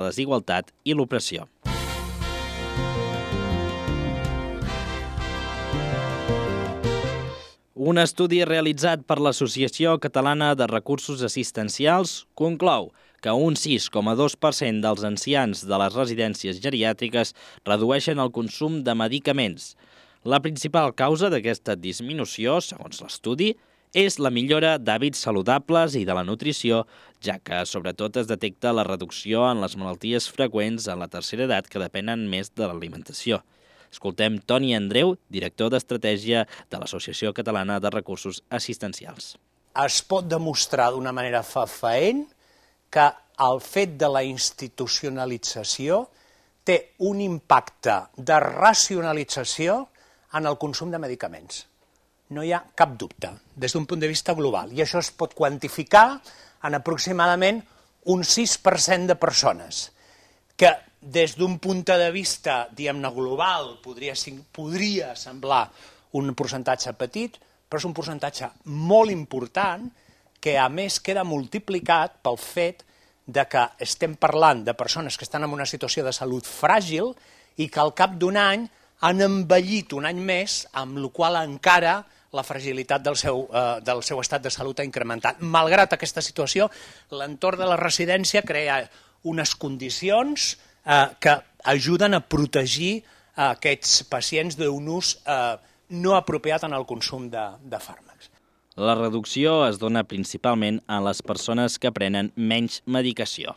la desigualtat i l'opressió. Un estudi realitzat per l'Associació Catalana de Recursos Assistencials conclou que un 6,2% dels ancians de les residències geriàtriques redueixen el consum de medicaments. La principal causa d'aquesta disminució, segons l'estudi, és la millora d'hàbits saludables i de la nutrició, ja que sobretot es detecta la reducció en les malalties freqüents en la tercera edat que depenen més de l'alimentació. Escoltem Toni Andreu, director d'Estratègia de l'Associació Catalana de Recursos Assistencials. Es pot demostrar d'una manera fefaent que el fet de la institucionalització té un impacte de racionalització en el consum de medicaments. No hi ha cap dubte, des d'un punt de vista global. I això es pot quantificar en aproximadament un 6% de persones, que des d'un punt de vista, diguem-ne, global, podria semblar un percentatge petit, però és un percentatge molt important que, a més, queda multiplicat pel fet de que estem parlant de persones que estan en una situació de salut fràgil i que al cap d'un any han envellit un any més, amb la qual encara la fragilitat del seu estat de salut ha incrementat. Malgrat aquesta situació, l'entorn de la residència crea unes condicions que ajuden a protegir aquests pacients d'un ús no apropiat en el consum de fàrmacs. La reducció es dona principalment a les persones que prenen menys medicació.